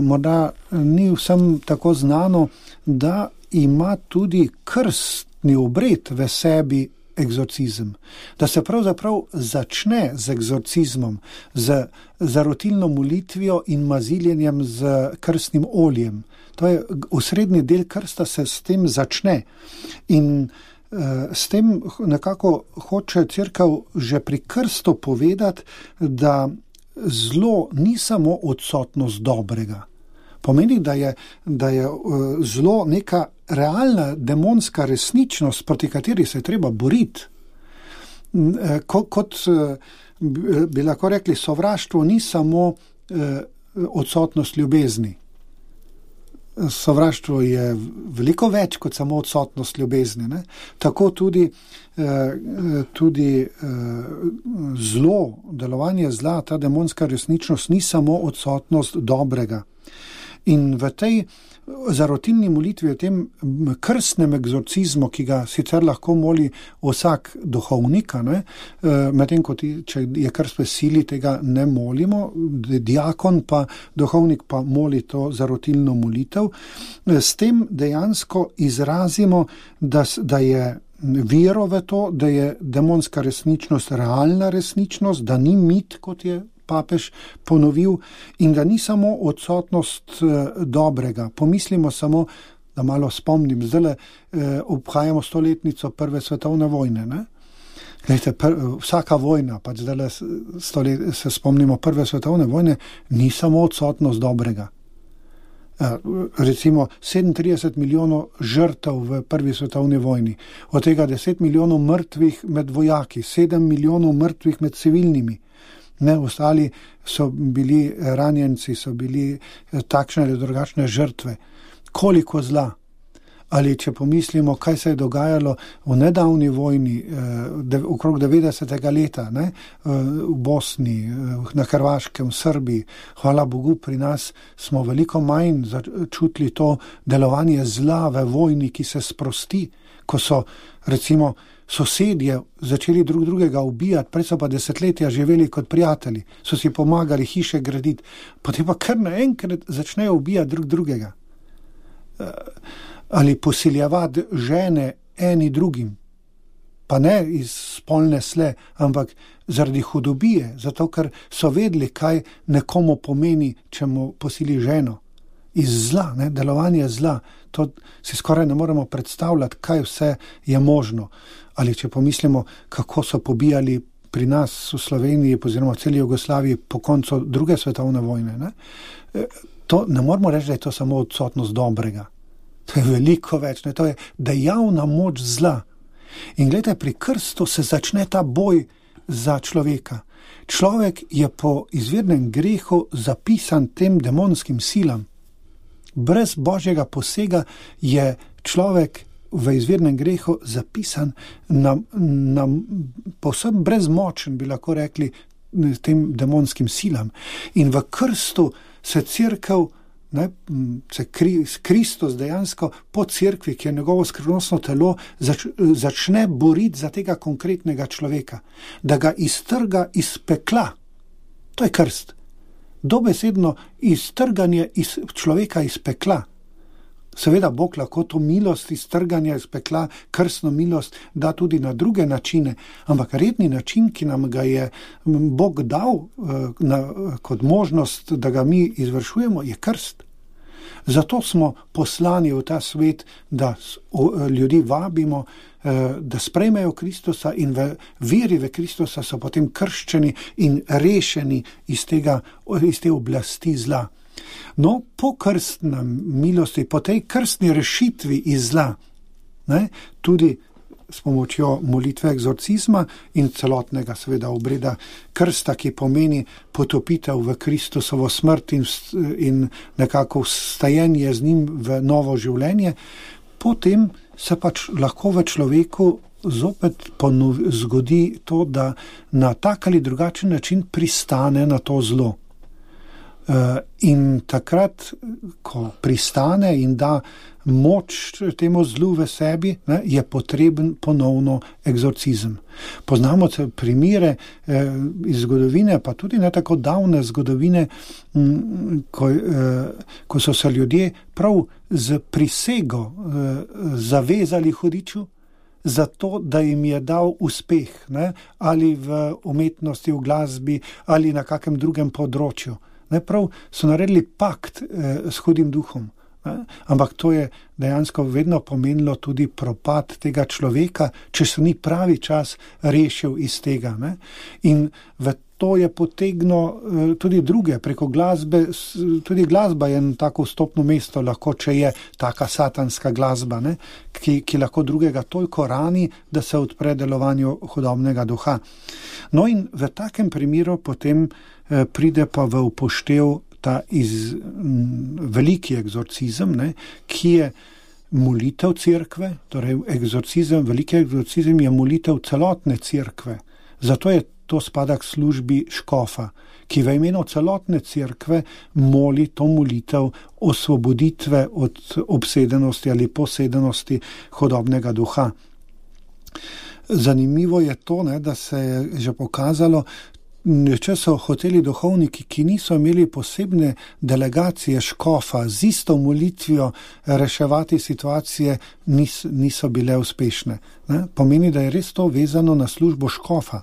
morda ni vsem tako znano, da ima tudi krstni obred v sebi egzorcizem. Da se pravzaprav začne z egzorcizmom, z zarotilno molitvijo in maziljenjem z krstnim oljem. To je osrednji del krsta, se s tem začne. In uh, s tem nekako hoče cerkev že pri krstu povedati, da zlo ni samo odsotnost dobrega. Pomeni, da je, da je uh, zlo neka realna demonska resničnost, proti kateri se je treba boriti. Ko, kot bi lahko rekli, sovraštvo ni samo eh, odsotnost ljubezni. Sovraštvo je veliko več kot samo odsotnost ljubezni. Ne? Tako tudi, eh, tudi eh, zlo, delovanje zla, ta demonska resničnost ni samo odsotnost dobrega. In v tej zarotilni molitvi, v tem krstnem egzorcizmu, ki ga sicer lahko moli vsak duhovnik, medtem ko ti, če je krst v sili, tega ne molimo, diakon pa, duhovnik pa moli to zarotilno molitev, s tem dejansko izrazimo, da, da je vero v to, da je demonska resničnost realna resničnost, da ni mit, kot je papež ponovil, in da ni samo odsotnost eh, dobrega. Pomislimo samo, da malo spomnim, zdaj eh, obhajamo stoletnico prve svetovne vojne. Ne? Glejte, pr, vsaka vojna, pa zdaj stolet, se spomnimo prve svetovne vojne, ni samo odsotnost dobrega. Eh, recimo sedemintrideset milijonov žrtev v prvi svetovni vojni, od tega deset milijonov mrtvih med vojaki, sedem milijonov mrtvih med civilnimi. Ne, ostali so bili ranjenci, so bili takšne ali drugačne žrtve. Koliko zla? Ali če pomislimo, kaj se je dogajalo v nedavni vojni, eh, okrog devetdesetega leta, ne, v Bosni, na Hrvaškem, v Srbiji, hvala Bogu, pri nas smo veliko manj začutili to delovanje zla v vojni, ki se sprosti, ko so recimo sosedje začeli drug drugega ubijati, prej so pa desetletja živeli kot prijatelji, so si pomagali hiše graditi, potem pa kar naenkrat začnejo ubijati drug drugega. Ali posiljevati žene eni drugim, pa ne iz spolne sle, ampak zaradi hudobije, zato ker so vedeli, kaj nekomu pomeni, če mu posili ženo. Iz zla, ne, delovanje zla, to si skoraj ne moremo predstavljati, kaj vse je možno. Ali če pomislimo, kako so pobijali pri nas v Sloveniji, oziroma v celi Jugoslaviji po koncu druge svetovne vojne. Ne? To ne moramo reči, da je to samo odsotnost dobrega. To je veliko več, ne? To je dejavna moč zla. In gledajte, pri krstu se začne ta boj za človeka. Človek je po izvirnem grehu zapisan tem demonskim silam. Brez Božjega posega je človek v izvirnem grehu zapisan na, na povsem brezmočen, bi lahko rekli, tem demonskim silam. In v krstu se cerkev, ne, se Kristus dejansko po cerkvi, ki je njegovo skrivnostno telo, zač, začne boriti za tega konkretnega človeka, da ga iztrga iz pekla. To je krst. Dobesedno iztrganje iz človeka iz pekla. Seveda Bog lahko to milost iz trganja iz pekla, krstno milost, da tudi na druge načine, ampak redni način, ki nam ga je Bog dal na, kot možnost, da ga mi izvršujemo, je krst. Zato smo poslani v ta svet, da ljudi vabimo, da sprejmejo Kristusa in v veri v Kristusa so potem krščeni in rešeni iz tega, iz te oblasti zla. No, po krstni milosti, po tej krstni rešitvi iz zla, ne, tudi s pomočjo molitve egzorcizma in celotnega seveda obreda krsta, ki pomeni potopitev v Kristusovo smrt in, in nekako vstajenje z njim v novo življenje, potem se pač lahko v človeku zopet ponov, zgodi to, da na tak ali drugačen način pristane na to zlo. Uh, in takrat, ko pristane in da moč temu zlu v sebi, ne, je potreben ponovno egzorcizem. Poznamo primere eh, iz zgodovine, pa tudi ne tako davne zgodovine, m, ko, eh, ko so se ljudje prav z prisego eh, zavezali hudiču, zato, da jim je dal uspeh, ne, ali v umetnosti, v glasbi, ali na kakem drugem področju. Ne, prav so naredili pakt eh, s hudim duhom, ne? Ampak to je dejansko vedno pomenilo tudi propad tega človeka, če se ni pravi čas rešil iz tega. Ne? In v to je potegno eh, tudi druge, preko glasbe, tudi glasba je tako vstopno mesto, lahko, če je taka satanska glasba, ne? Ki, ki lahko drugega toliko rani, da se odpre delovanju hudobnega duha. No in v takem primeru potem pride pa v upoštev ta iz, m, veliki egzorcizem, ne, ki je molitev cerkve, torej egzorcizem, veliki egzorcizem je molitev celotne cerkve. Zato je to spada k službi škofa, ki v imenu celotne cerkve moli to molitev osvoboditve od obsedenosti ali posedenosti hudobnega duha. Zanimivo je to, ne, da se je že pokazalo, če so hoteli duhovniki, ki niso imeli posebne delegacije škofa z isto molitvijo reševati situacije, nis, niso bile uspešne. Ne? Pomeni, da je res to vezano na službo škofa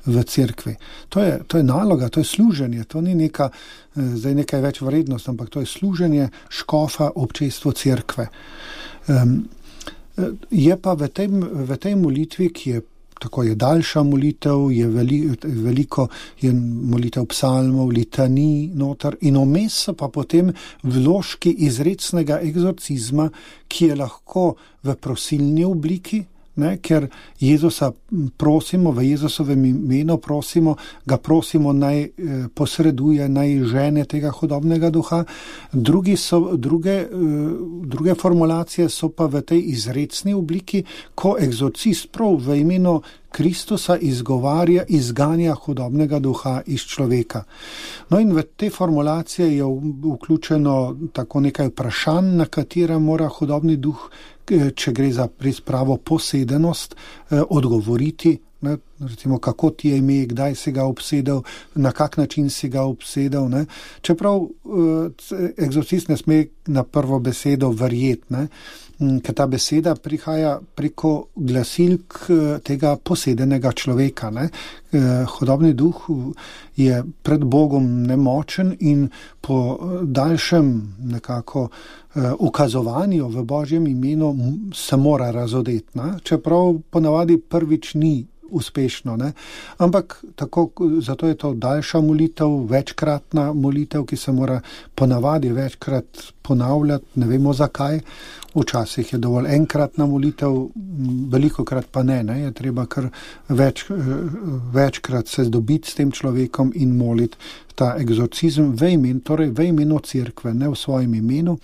v cerkvi. To je, to je naloga, to je služenje, to ni neka, zdaj nekaj več vrednost, ampak to je služenje škofa občestvu cerkve. Um, je pa v tej, v tej molitvi, ki je tako je daljša molitev, je veli, veliko je molitev psalmov, litanij noter in vmes so pa potem vložki izrecnega egzorcizma, ki je lahko v prosilni obliki, ne, ker Jezusa prosimo, v Jezusovem imenu prosimo, ga prosimo naj eh, posreduje, naj žene tega hudobnega duha. Drugi so, druge, eh, druge formulacije so pa v tej izrecni obliki, ko egzorcist prav v imenu Kristusa izgovarja, izganja hudobnega duha iz človeka. No in v te formulacije je vključeno tako nekaj vprašanj, na katera mora hudobni duh, če gre za res pravo posedenost, eh, odgovoriti, ne, recimo kako ti je ime, kdaj si ga obsedel, na kak način si ga obsedel. Ne. Čeprav eh, egzorcist ne sme na prvo besedo verjeti, ne, ker ta beseda prihaja preko glasilk tega posedenega človeka. Ne. Eh, hudobni duh je pred Bogom nemočen in po daljšem nekako ukazovanju v Božjem imenu se mora razodeti, ne? Čeprav ponavadi prvič ni uspešno, ne? Ampak tako, zato je to daljša molitev, večkratna molitev, ki se mora ponavadi večkrat ponavljati, ne vemo zakaj. Včasih je dovolj enkratna molitev, velikokrat pa ne, ne? Je treba kar več, večkrat se dobiti s tem človekom in moliti ta egzorcizem v imenu, torej v imenu cerkve, ne v svojem imenu.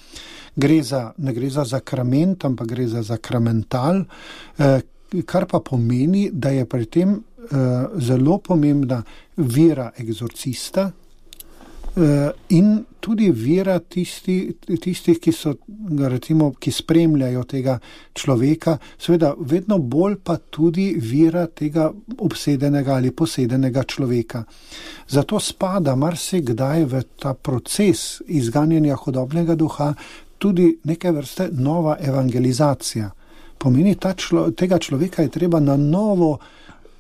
Gre za, ne gre za zakrament, ampak gre za zakramental, eh, kar pa pomeni, da je pri tem eh, zelo pomembna vera egzorcista eh, in tudi vera tisti, tistih, ki so, recimo, ki spremljajo tega človeka, seveda vedno bolj pa tudi vera tega obsedenega ali posedenega človeka. Zato spada marsikdaj v ta proces izganjanja hudobnega duha tudi neke vrste nova evangelizacija. Pomeni, ta člo, tega človeka je treba na novo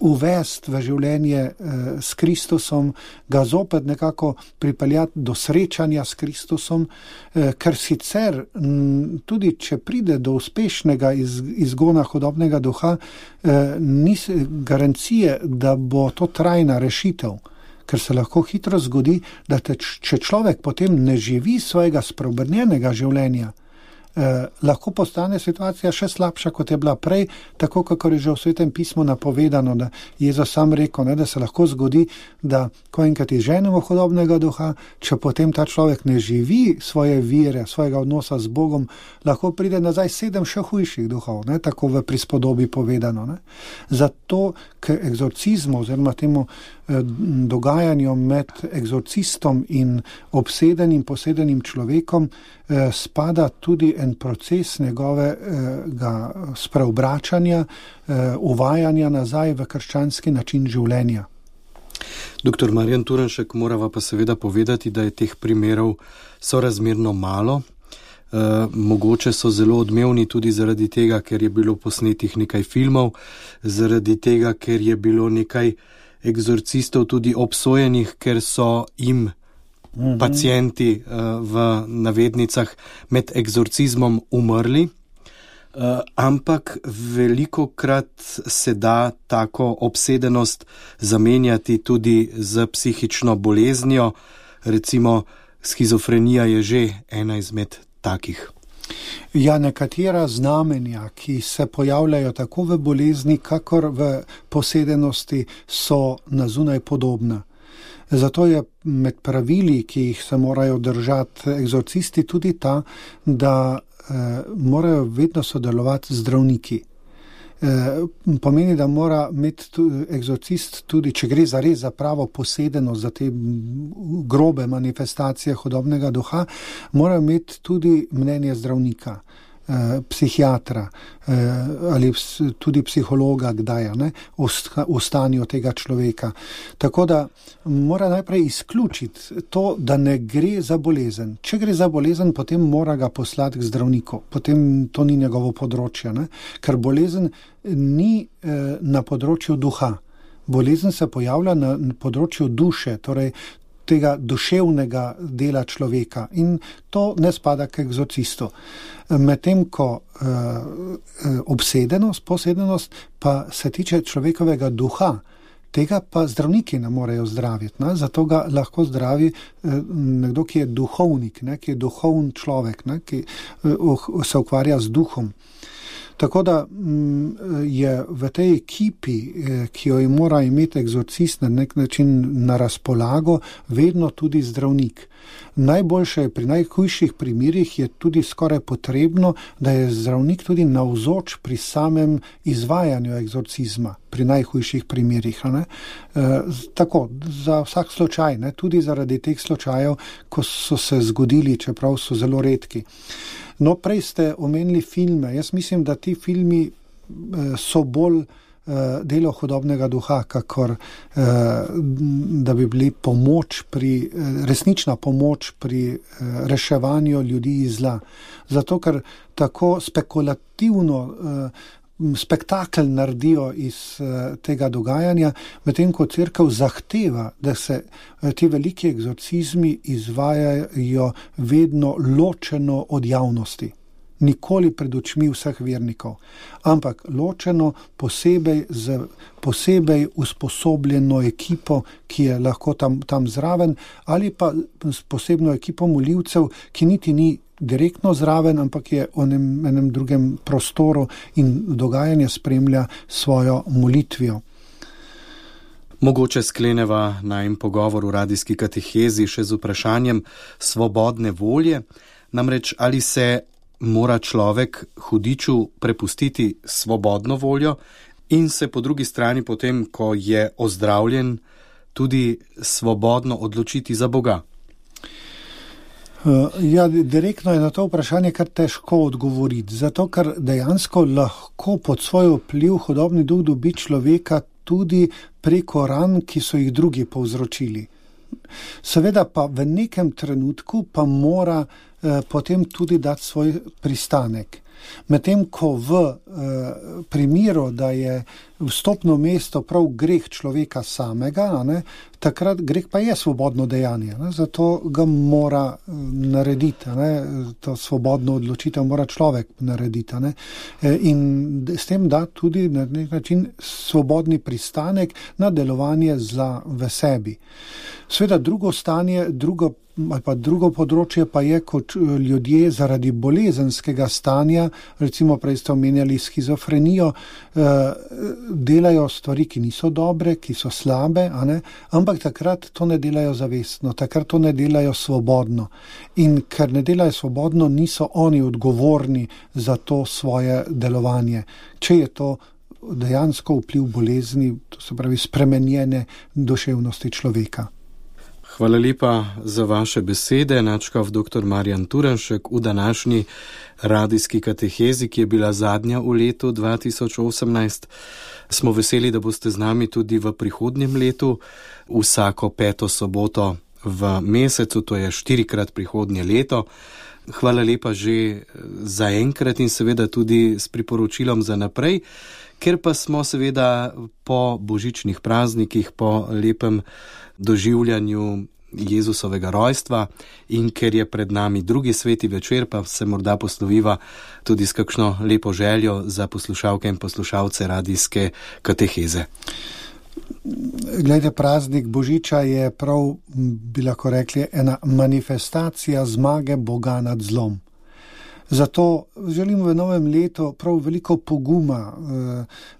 uvesti v življenje eh, s Kristusom, ga zopet nekako pripeljati do srečanja s Kristusom, eh, ker sicer m, tudi če pride do uspešnega iz, izgona hudobnega duha, eh, ni garancije, da bo to trajna rešitev, ker se lahko hitro zgodi, da te, če človek potem ne živi svojega spreobrnjenega življenja, Eh, lahko postane situacija še slabša, kot je bila prej, tako kako je že v Svetem pismu napovedano, da Jezus sam rekel, ne, da se lahko zgodi, da ko enkrat izženemo hudobnega duha, če potem ta človek ne živi svoje vere, svojega odnosa z Bogom, lahko pride nazaj sedem še hujših duhov, ne, tako v prispodobi povedano. Ne. Zato k egzorcizmu oziroma temu eh, dogajanju med egzorcistom in obsedenim, posedenim človekom eh, spada tudi en proces njegovega spreobračanja, uvajanja nazaj v krščanski način življenja. Doktor Marjan Turnšek, morava pa seveda povedati, da je teh primerov sorazmerno malo. E, mogoče so zelo odmevni tudi zaradi tega, ker je bilo posnetih nekaj filmov, zaradi tega, ker je bilo nekaj egzorcistov tudi obsojenih, ker so jim pacienti uh, v navednicah med egzorcizmom umrli, uh, ampak velikokrat se da tako obsedenost zamenjati tudi z psihično boleznijo, recimo shizofrenija je že ena izmed takih. Ja, nekatera znamenja, ki se pojavljajo tako v bolezni, kakor v posedenosti, so na zunaj podobna. Zato je med pravili, ki jih se morajo držati egzorcisti, tudi ta, da eh, morajo vedno sodelovati zdravniki. Eh, pomeni, da mora imeti egzorcist tudi, če gre za res za pravo posedenost, za te grobe manifestacije hudobnega duha, mora imeti tudi mnenje zdravnika, eh, psihiatra eh, ali tudi psihologa, kdaj ne, v stanju tega človeka. Tako da mora najprej izključiti to, da ne gre za bolezen. Če gre za bolezen, potem mora ga poslati k zdravniku. Potem to ni njegovo področje, ne? Ker bolezen ni eh, na področju duha. Bolezen se pojavlja na področju duše, torej tega duševnega dela človeka, in to ne spada k egzorcistu. Medtem ko eh, obsedenost, posedenost pa se tiče človekovega duha, tega pa zdravniki ne morejo zdraviti, ne? Zato ga lahko zdravi eh, nekdo, ki je duhovnik, ne? Ki je duhovn človek, ne? Ki eh, se ukvarja z duhom. Tako da je v tej ekipi, ki jo mora imeti egzorcist na nek način na razpolago, vedno tudi zdravnik. Najboljše pri najhujših primerih je tudi skoraj potrebno, da je zdravnik tudi navzoč pri samem izvajanju egzorcizma, pri najhujših primerih. Ne? E, tako, za vsak slučaj, ne? Tudi zaradi teh slučajev, ko so se zgodili, čeprav so zelo redki. No, prej ste omenili filme. Jaz mislim, da ti filmi eh, so bolj eh, delo hudobnega duha, kakor eh, da bi bili pomoč pri, eh, resnična pomoč pri eh, reševanju ljudi iz zla. Zato, ker tako spekulativno eh, spektakel naredijo iz uh, tega dogajanja, medtem ko cerkev zahteva, da se uh, ti veliki egzorcizmi izvajajo vedno ločeno od javnosti. Nikoli pred očmi vseh vernikov, ampak ločeno posebej z posebej usposobljeno ekipo, ki je lahko tam, tam zraven, ali pa s posebno ekipo molivcev, ki niti ni direktno zraven, ampak je v enem, enem drugem prostoru in dogajanje spremlja svojo molitvijo. Mogoče skleneva najin pogovor v radijski katehezi še z vprašanjem svobodne volje. Namreč, ali se mora človek hudiču prepustiti svobodno voljo in se po drugi strani potem, ko je ozdravljen, tudi svobodno odločiti za Boga? Ja, direktno je na to vprašanje kar težko odgovoriti, zato ker dejansko lahko pod svoj vpliv hudobni duh dobi človeka tudi preko ran, ki so jih drugi povzročili. Seveda pa v nekem trenutku pa mora potem tudi dati svoj pristanek. Medtem ko v eh, primeru, da je vstopno mesto prav greh človeka samega, ne, takrat greh pa je svobodno dejanje, ne, zato ga mora narediti, ne, to svobodno odločitev mora človek narediti, ne, in s tem da tudi na nek način svobodni pristanek na delovanje zla v sebi. Sveda drugo stanje, drugo ali pa drugo področje pa je, kot ljudje zaradi bolezenskega stanja, recimo prej ste omenjali schizofrenijo, delajo stvari, ki niso dobre, ki so slabe, a ne? Ampak takrat to ne delajo zavestno, takrat to ne delajo svobodno. In ker ne delajo svobodno, niso oni odgovorni za to svoje delovanje. Če je to dejansko vpliv bolezni, to se pravi spremenjene duševnosti človeka. Hvala lepa za vaše besede, nadškof doktor Marjan Turnšek v današnji radijski katehezi, ki je bila zadnja v letu dva tisoč osemnajst. Smo veseli, da boste z nami tudi v prihodnjem letu, vsako peto soboto v mesecu, to je štirikrat prihodnje leto. Hvala lepa že za enkrat in seveda tudi s priporočilom za naprej, ker pa smo seveda po božičnih praznikih, po lepem doživljanju Jezusovega rojstva in ker je pred nami drugi sveti večer, pa se morda posloviva tudi s kakšno lepo željo za poslušalke in poslušalce radijske kateheze. Glejte, praznik Božiča je prav, bi lahko rekli, ena manifestacija zmage Boga nad zlom. Zato želim v novem letu prav veliko poguma,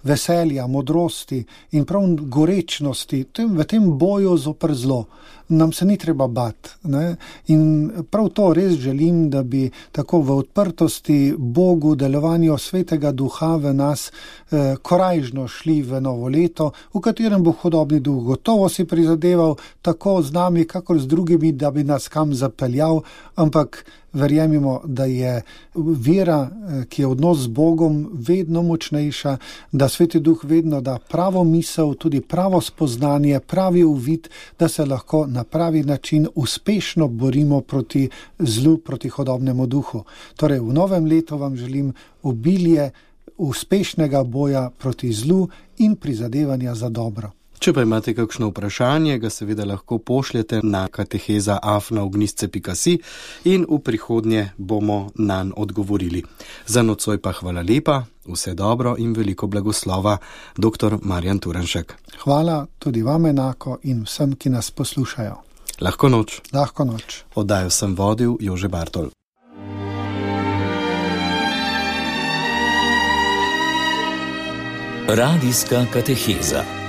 veselja, modrosti in prav gorečnosti v tem boju zoper zlo. Nam se ni treba bati, ne? In prav to res želim, da bi tako v odprtosti Bogu, delovanju Svetega Duha v nas eh, korajžno šli v novo leto, v katerem bo hudobni duh gotovo si prizadeval tako z nami, kakor z drugimi, da bi nas kam zapeljal, ampak verjemimo, da je vera, ki je odnos z Bogom, vedno močnejša, da Sveti Duh vedno da pravo misel, tudi pravo spoznanje, pravi uvid, da se lahko na pravi način uspešno borimo proti zlu, proti hudobnemu duhu. Torej, v novem letu vam želim obilje uspešnega boja proti zlu in prizadevanja za dobro. Če pa imate kakšno vprašanje, ga seveda lahko pošljete na kateheza afna ognjišče pika si in v prihodnje bomo nanj odgovorili. Za nocoj pa hvala lepa, vse dobro in veliko blagoslova, doktor Marjan Turnšek. Hvala tudi vam enako in vsem, ki nas poslušajo. Lahko noč. Lahko noč. Oddajo sem vodil Jože Bartol. Radijska kateheza.